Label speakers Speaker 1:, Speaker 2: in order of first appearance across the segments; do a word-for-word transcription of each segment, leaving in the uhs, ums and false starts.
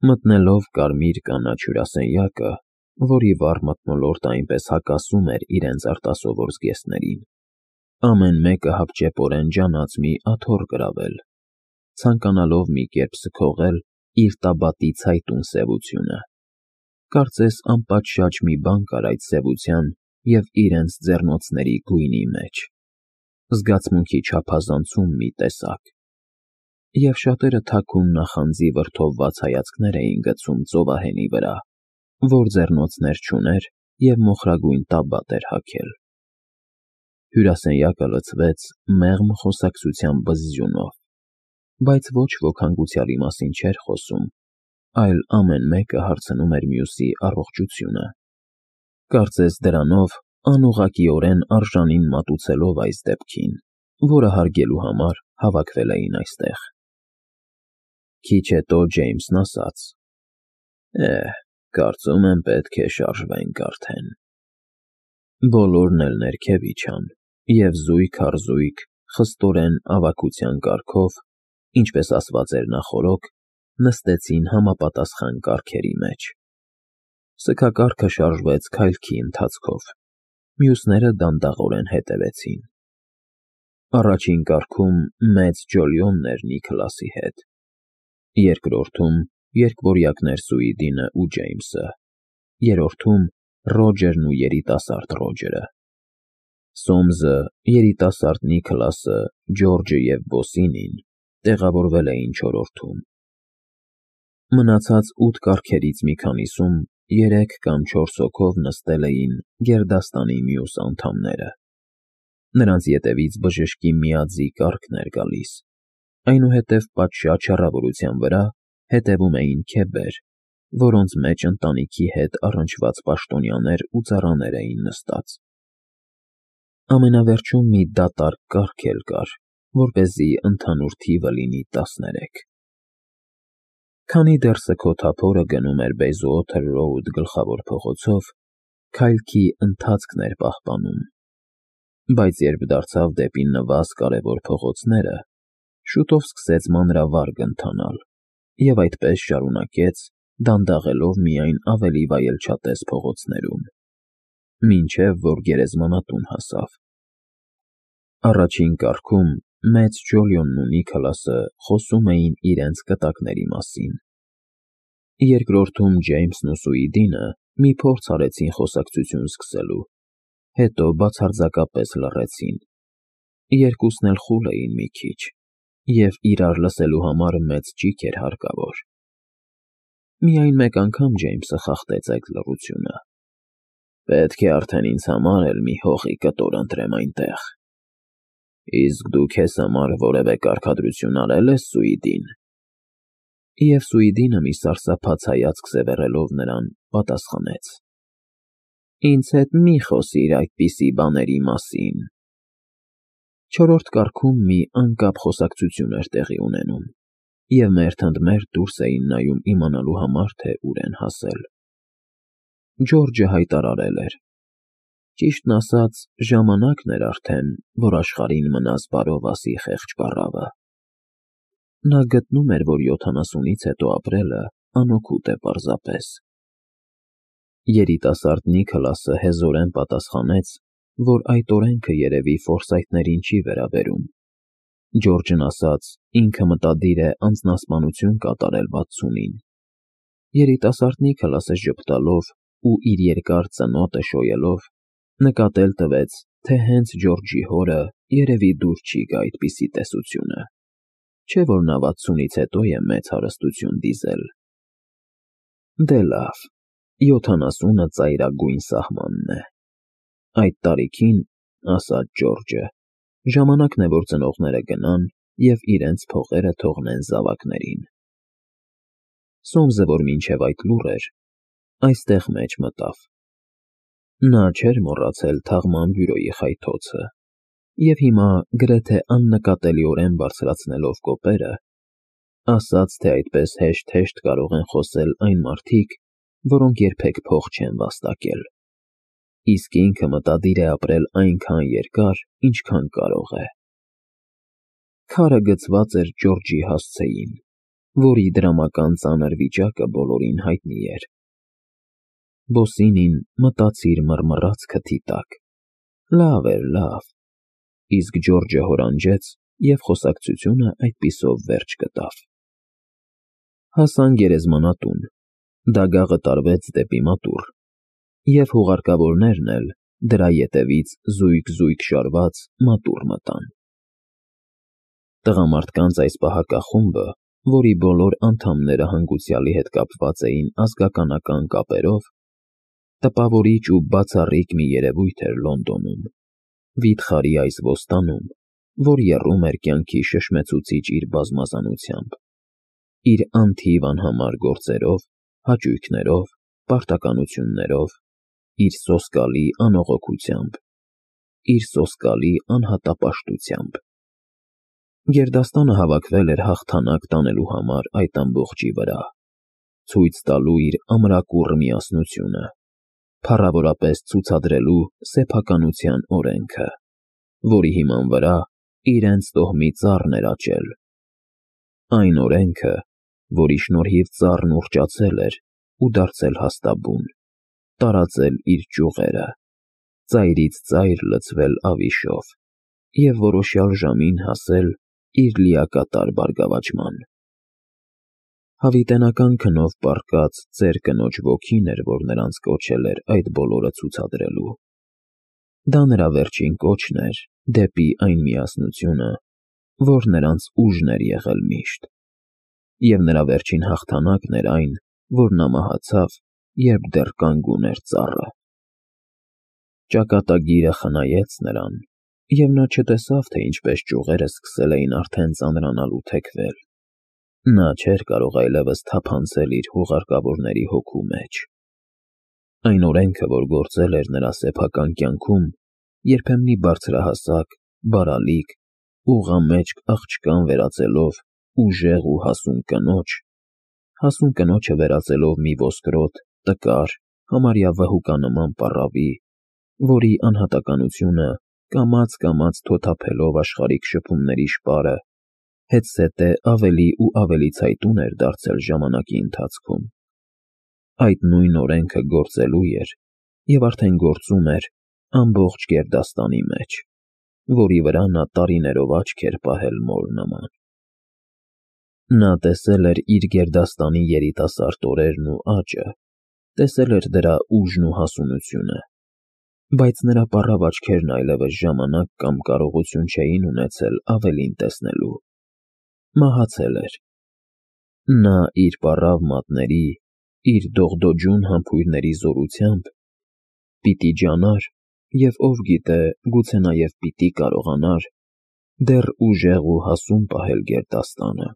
Speaker 1: Մտնելով կարմիր կանաչ հյուրասենյակը, որի վառ մթնոլորտը այնպես հակասում էր իրենց արտասովոր զգեստներին, ամեն մեկը հապճեպորեն ջանաց մի աթոռ գրավել, ցանկանալով մի կերպ սքողել իր տաբատի ցայտուն սևությունը, կարծես անպատշաճ մի բան կար այդ սևության և իրենց ձեռնոցների գույնի մեջ, զգացմունքի չափազանցում մի տեսակ, և շատերը թաքուն նախանձի վրդովված հայացքներ էին գցում ծովահենի վրա, որ ձեռնոցներ չուներ և մոխրագույն տաբատ էր հագել։ Հյուրասենյակը լցվեց մեղմ խոսակցության բզզյունով, բայց ոչ ոք հանգուցյալի մասին չէր խոսում, այլ ամեն մեկը հարցնում էր մյուսի առողջությունը, կարծես դրանով անուղղակիորեն արժանին մատուցելով այս դեպքին, որը հարգելու համար հավաքվել էին այստեղ։ Քիչ հետո Ջեյմսն ասաց. «Է, կարծում եմ պետք է շարժվենք արդեն»։ Բոլորն էլ ներքև իջան և զույգ առ զույգ, խստորեն ավագության կարգով, ինչպես ասված էր նախօրոք, նստեցին համապատասխան կառքերի մեջ։ Սգակառքը շարժվեց քայլքի ընթացքով, մյուսները դանդաղորեն հետևեցին։ Առաջին կառքում մեծ Ջոլիոնն էր Նիքլասի հետ, երկրորդում երկվորյակներ Սուիդինը ու Ջեյմսը, երրորդում Ռոջերն ու երիտասարդ Ռոջերը։ Սոմսը, երիտասարդ Նիքլասը, Ջորջը և Բոսինին տեղավորվել էին չորրորդում։ Մնացած ութ կառքերից մի քանիսում երեք կամ չորս հոգով նստել էին գերդաստանի մյուս անդամները։ Նրանց ետևից բժշկի միաձի կառքն էր գալիս, այնուհետև պատշաճ հեռավորության վրա հետևում էին քեբեր, որոնց մեջ ընտանիքի հետ առնչված պաշտոնյաներ ու ծառաներ էին նստած։ Ամենավերջում մի դատարկ կառք էլ կար, որպեսզի ընդհանուր թիվը լինի տասներեք։ Քանի դեռ սգոթափորը գնում էր Բեյզուոթեր Ռոուդ գլխավոր փողոցով, քայլքի ընթացքն էր պահպանում, բայց երբ դարձավ դեպի նվազ կարևոր փողոցները, շուտով սկսեց մանրավարգ ընթանալ և այդպես շարունակեց, դանդաղելով միայն ավելի վայելչատես փողոցներում, մինչև որ գերեզմանատուն հասավ։ Առաջին կառքում մեծ Ջոլիոնն ու Նիքլասը խոսում էին իրենց կտակների մասին։ Երկրորդում Ջեյմսն ու Սուիդինը մի փորձ արեցին խոսակցություն սկսելու, հետո բացարձակապես լռեցին։ Երկուսն էլ խուլ էին մի քիչ, և իրար լսելու համար մեծ ճիգ էր հարկավոր։ Միայն մեկ անգամ Ջեյմսը խախտեց այդ լռությունը. «Պետք է արդեն ինձ համար էլ մի հողի կտոր ընտրեմ այնտեղ»։ «Իսկ դու քեզ համար որևէ կարգադրություն արել ես, Սուիդին»։ Եվ Սուիդինը մի սարսափած հայացք սևեռելով նրան, պատասխանեց. «Ինձ հետ մի խոսիր այդպիսի բաների մասին»։ Չորրորդ կառքում մի անկապ խոսակցություն էր տեղի ունենում, և մերթ ընդ մերթ դուրս էին նայում իմանալու համար, թե ուր են հասել։ Ջորջը հայտարարել էր. «Ճիշտն ասած, ժամանակն էր արդեն, որ աշխարհին մնաս բարով ասի խեղճ պառավը»։ Նա գտնում էր, որ յոթանասունից հետո ապրելը անօգուտ է պարզապես։ Երիտասարդ Նիքլասը հեզորեն պատասխանեց, որ այդ օրենքը երևի ֆորսայթներին չի վերաբերում։ Ջորջն ասաց, ինքը մտադիր է անձնասպանություն կատարել վաթսունին։ Երիտասարդ Նիքլասը ժպտալով ու իր երկար ծնոտը շոյելով, նկատել տվեց, թե հենց Ջորջի հորը երևի դուր չի գա այդպիսի տեսությունը, չէ՞ որ նա վաթսունից հետո է մեծ հարստություն դիզել։ Դե լավ, յոթանասունը ծայրագույն սահմանն է։ Այդ տարիքին, ասաց Ջորջը, ժամանակն է, որ ծնողները գնան և իրենց փողերը թողնեն զավակներին։ Սոմսը, որ մինչև այդ լուռ էր, այստեղ մեջ մտավ։ Նա չէր մոռացել թաղման բյուրոյի խայթոցը, և հիմա, գրեթե աննկատելիորեն բարձրացնելով կոպերը, ասաց, թե այդպես հեշտ֊հեշտ կարող են խոսել այն մարդիկ, որոնք երբեք փող չեն վաստակել, իսկ ինքը մտադիր է ապրել այնքան երկար, ինչքան կարող է։ Քարը գցված էր Ջորջի հասցեին, որի դրամական ծանր վիճակը բոլորին հայտնի էր։ Բոսինին մտածիր մռմռաց քթի տակ. լավ էր, լավ, իսկ Ջորջը հորանջեց, և խոսակցությունը այդպիսով վերջ գտավ։ Հասան գերեզմանատուն, դագաղը տարվեց դեպի մատուռ, և հուղարկավորներն էլ դրա ետևից զույգ-զույգ շարված մատուռ մտան։ Տղամարդկանց այս պահակախումբը, որի բոլոր անդամները հանգուցյալի հետ կապված էին ազգականական կապերով, տպավորիչ ու բացառիկ մի երևույթ էր Լոնդոնում, վիթխարի այս ոստանում, որ եռում էր կյանքի շշմեցուցիչ իր բազմազանությամբ, իր անթիվ անհամար գործերով, հաճույքներով, պարտականություններով, իր սոսկալի անողոքությամբ, իր սոսկալի անհատապաշտությամբ։ Գերդաստանը հավաքվել էր հաղթանակ տանելու համար այդ ամբողջի վրա, ցույց տալու իր ամրակուռ միասնությունը, փառավորապես ցուցադրելու սեփականության օրենքը, որի հիման վրա իրենց տոհմի ծառն էր աճել, այն օրենքը, որի շնորհիվ ծառն ուռճացել էր ու դարձել հաստաբուն, տարածել իր ճյուղերը, ծայրից ծայր լցվել ավիշով և որոշյալ ժամին հասել իր լիակատար բարգավաճման։ Հավիտենական քնով պառկած ծեր կնոջ ոգին էր, որ նրանց կոչել էր այդ բոլորը ցուցադրելու։ Դա նրա վերջին կոչն էր դեպի այն միասնությունը, որ նրանց ուժն էր եղել միշտ, և նրա վերջին հաղթանակն էր այն, որ նա մահացավ, երբ դեռ կանգուն էր ծառը։ Ճակատագիրը խնայեց նրան, և նա չտեսավ, թե ինչպես ճյուղերը սկսել էին արդեն ծանրանալ ու թեքվել։ Նա չէր կարող այլևս թափանցել իր հուղարկավորների հոգու մեջ։ Այն օրենքը, որ գործել էր նրա սեփական կյանքում, երբեմնի բարձրահասակ, բարալիկ, ուղղամեջք աղջկան վերածելով ուժեղ ու հասուն կնոջ, հասուն կնոջը վերածելով մի ոսկրոտ, տկար, համարյա վհուկանման պառավի, որի անհատականությունը կամաց-կամաց թոթափելով աշխարհիկ շփումների շպարը, հետզհետե ավելի ու ավելի ցայտուն էր դարձել ժամանակի ընթացքում։ Այդ նույն օրենքը գործելու էր և արդեն գործում էր ամբողջ գերդաստանի մեջ, որի վրա նա տարիներով աչք էր պահել մոր նման։ Նա տեսել էր իր գերդաստանի երիտասարդ օրերն ու աճը, տեսել էր դրա ուժն ու հասունությունը, բայց նրա պառավ աչքերն այլևս ժամանակ կամ կարողություն չէին ունեցել ավելին տեսնելու։ Մահացել էր։ Նա իր պառավ մատների, իր դողդոջուն համբույրների զորությամբ պիտի ջանար և, ով գիտե, գուցե նաև պիտի կարողանար դեռ ուժեղ ու հասուն պահել գերդաստանը։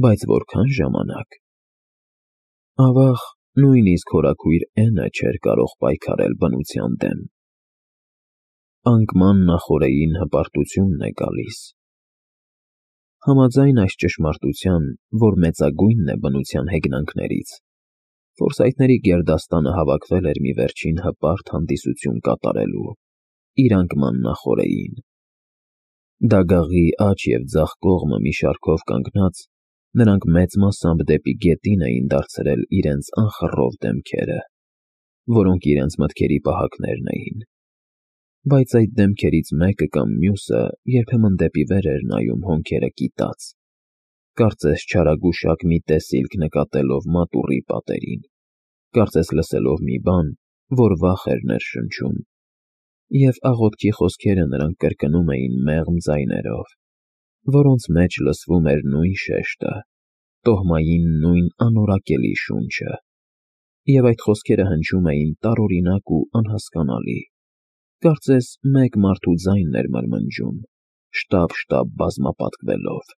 Speaker 1: Բայց որքա՞ն ժամանակ։ Ավաղ, նույնիսկ հորաքույր Էնը չէր կարող պայքարել բնության դեմ։ Անկման նախօրեին հպարտությունն է գալիս։ Համաձայն այս ճշմարտության, որ մեծագույնն է բնության հեգնանքներից, ֆորսայթների գերդաստանը հավաքվել էր մի վերջին հպարտ հանդիսություն կատարելու իր անկման նախօրեին։ Դագաղի աջ և ձախ կողմը մի շարքով կանգնած, նրանք մեծ մասամբ դեպի գետին էին դարձրել իրենց անխռով դեմքերը, որոնք իրենց մտքերի պահակներն էին, բայց այդ դեմքերից մեկը կամ մյուսը երբեմն դեպի վեր էր նայում հոնքերը կիտած, կարծես չարագուշակ մի տեսիլք նկատելով մատուռի պատերին, կարծես լսելով մի բան, որ վախ էր ներշնչում, և աղոթքի խոսքերը նրանք կրկնում էին մեղմ ձայներով, որոնց մեջ լսվում էր նույն շեշտը, տոհմային նույն անորակելի շունչը, և այդ խոսքերը հնչում էին տարօրինակ ու անհասկանալի, կարծես մեկ մարդու ձայնն էր մրմնջում, շտապ-շտապ բազմապատկվելով։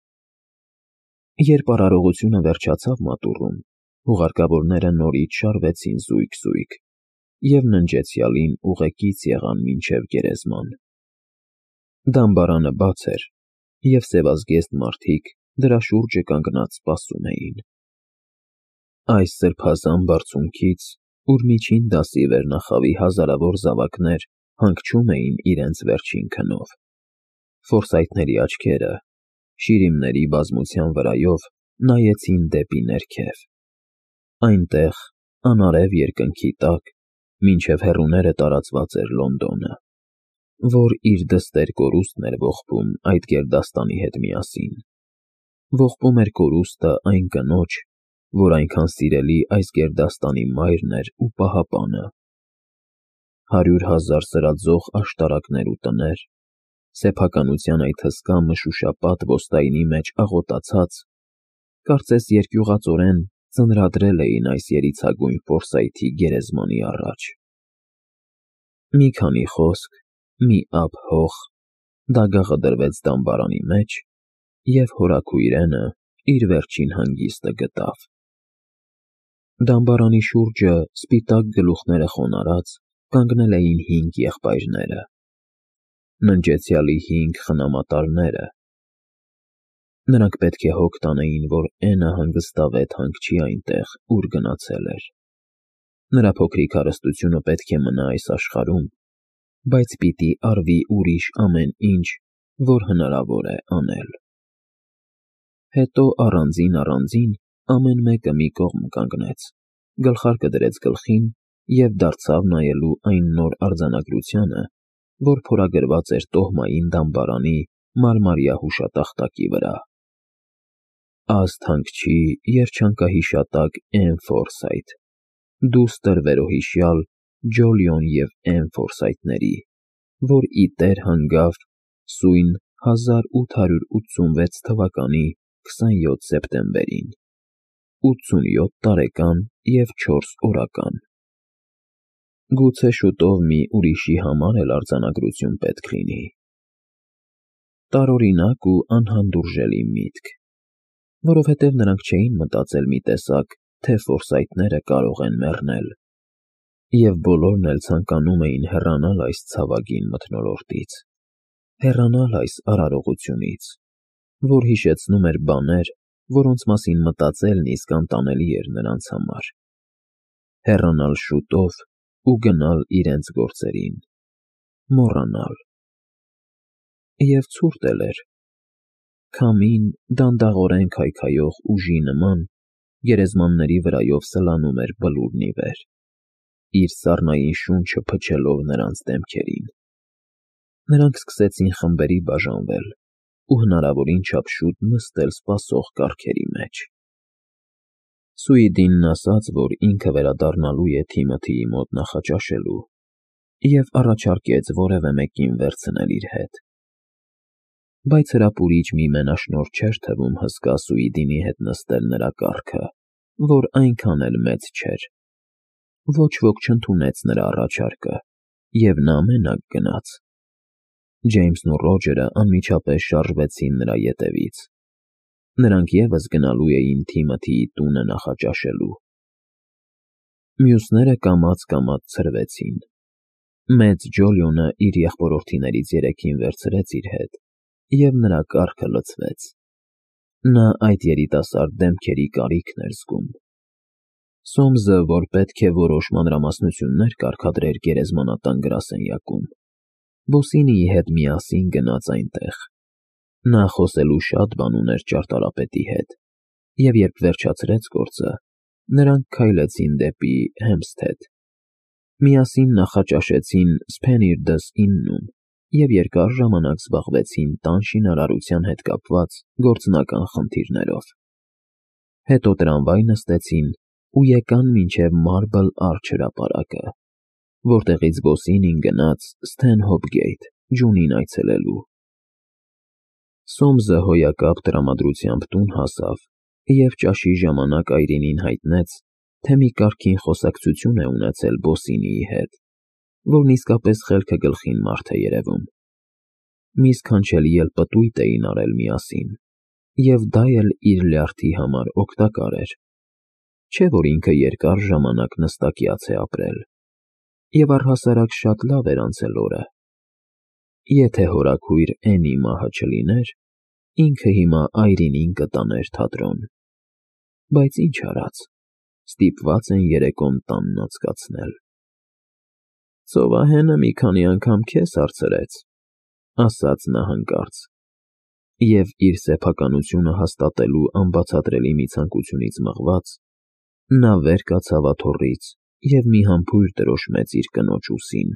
Speaker 1: Երբ արարողությունը վերջացավ մատուռում, հուղարկավորները նորից շարվեցին զույգ-զույգ և ննջեցյալին ուղեկից եղան մինչև գերեզման։ Դամբարանը բաց էր, և սևազգեստ մարդիկ դրա շուրջը կանգնած սպասում էին։ Այս սրբազան բարձունքից, ուր միջին դասի վերնախավի հազարավոր զավակներ հանգչում էին իրենց վերջին քնով, ֆորսայթների աչքերը, շիրիմների բազմության վրայով նայեցին դեպի ներքև։ Այնտեղ, անարև երկնքի տակ, մինչև հեռուները տարածված էր Լոնդոնը, որ իր դստեր կորուստն էր ողբում այդ գերդաստանի հետ միասին։ Ողբում էր կորուստը այն կնոջ, որ այնքան սիրելի այս գերդաստանի մայրն էր ու պահապանը։ Հարյուր հազար սրածող աշտարակներ ու տներ, սեփականության այդ հսկա մշուշապատ ոսկայինի մեջ աղոտացած, կարծես երկյուղածորեն ծնրադրել էին այս երիցագույն Ֆորսայթի գերեզմանի առաջ։ Մի քանի խոսք, մի ափ հող, դագաղը դրվեց դամբարանի մեջ, և հորաքույրենը իր վերջին հանգիստը գտավ։ Դամբարանի շուրջը, սպիտակ գլուխները խոնարհած, կանգնել էին հինգ եղբայրները, ննջեցյալի հինգ խնամատարները։ Նրանք պետք է հոգ տանեին, որ Էնը հանգստավետ հանգչի այնտեղ, ուր գնացել էր։ Նրա փոքրիկ հարստությունը պետք է մնա այս աշխարհում, բայց պիտի արվի ուրիշ ամեն ինչ, որ հնարավոր է անել։ Հետո առանձին-առանձին ամեն մեկը մի կողմ կանգնեց, գլխարկը դրեց գլխին և դարձավ նայելու այն նոր արձանագրությանը, որ փորագրված էր տոհմային դամբարանի մարմարյա հուշատախտակի վրա։ Աստ հանգչի երջանկահիշատակ Էն Ֆորսայթ, դուստր վերոհիշյալ Ջոլիոն և Էն Ֆորսայթների, որ ի տեր հանգավ սույն հազար ութ հարյուր ութսունվեց թվականի քսանյոթ սեպտեմբերին, ութսունյոթ տարեկան և չորս օրական։ Գուցե շուտով մի ուրիշի համար էլ արձանագրություն պետք լինի։ Տարօրինակ ու անհանդուրժելի միտք, որովհետև նրանք չէին մտածել մի տեսակ, թե Ֆորսայթները կարող են մեռնել, և բոլորն էլ ցանկանում էին հեռանալ այս ցավագին մթնոլորտից, հեռանալ այս արարողությունից, որ հիշեցնում էր բաներ, որոնց մասին մտածելն իսկ անտանելի էր նրանց համար, հեռանալ շուտով ու գնալ իրենց գործերին, մոռանալ։ Եվ ցուրտ էլ էր։ Քամին, դանդաղորեն քայքայող ուժի նման, գերեզմանների վրայով սլանում էր բլուրն ի վեր, իր սառնային շունչը փչելով նրանց դեմքերին։ Նրանք սկսեցին խմբերի բաժանվել ու հնարավորին չափ շուտ նստել սպասող կառքերի մեջ։ Սուիդինն ասաց, որ ինքը վերադառնալու է Թիմոթիի մոտ նախաճաշելու, և առաջարկեց որևէ մեկին վերցնել իր հետ։ Բայց հրապուրիչ մի մենաշնորհ չէր թվում հսկա Սուիդինի հետ նստել նրա կառքը, որ այնքան էլ մեծ չէր։ Ոչ ոք չընդունեց նրա առաջարկը, և նա մենակ գնաց։ Ջեյմսն ու Ռոջերը անմիջապես շարժվեցին նրա ետևից։ Նրանք ևս գնալու էին Թիմոթիի տունը նախաճաշելու։ Մյուսները կամաց֊կամաց ցրվեցին։ Մեծ Ջոլիոնը իր եղբորորդիներից երեքին վերցրեց իր հետ, և նրա կառքը լցվեց։ Նա այդ երիտասարդ դեմքերի կարիքն էր զգում։ Սոմսը, որ պետք է որոշ մանրամասնություններ կարգադրեր գերեզմանատան գրասենյակում, Բոսինիի հետ միասին գնաց այնտեղ։ Նա խոսելու շատ բան ուներ ճարտարապետի հետ, և երբ վերջացրեց գործը, նրանք քայլեցին դեպի Հեմփսթեդ։ Միասին նախաճաշեցին Սփենիրդս իննում և երկար ժամանակ զբաղվեցին տան շինարարության հետ կապված գործնական խնդիրներով։ Հետո տրամվայ նստեցին ու եկան մինչև Մարբլ Արչ հրապարակը, որտեղից Բոսինին գնաց Սթենհոփ Ջունին այցելելու։ Սոմսը հոյակապ տրամադրությամբ տուն հասավ և ճաշի ժամանակ Այրինին հայտնեց, թե մի կարգին խոսակցություն է ունեցել Բոսինիի հետ, որն իսկապես խելքը գլխին մարդ է երևում։ Մի սքանչելի էլ պտույտ էին արել միասին, և դա էլ իր լյարդի համար օգտակար էր։ Չէ՞ որ ինքը երկար ժամանակ նստակյաց է ապրել, և առհասարակ շատ լավ էր անցել օրը։ Եթե հորաքույր Էնի մահը չլիներ, ինքը հիմա Այրինին կտաներ թատրոն։ Բայց ինչ արած, ստիպված են երեկոն տանն անցկացնել։ Ծովահենը մի քանի անգամ քեզ հարցրեց, ասաց նա հանկարծ, Եվ իր սեփականությունը հաստատելու անբացատրելի մի ցանկությունից մղված, նա վեր կացավ աթոռից և մի համբույր տրոշմեց իր կնոջ ուսին։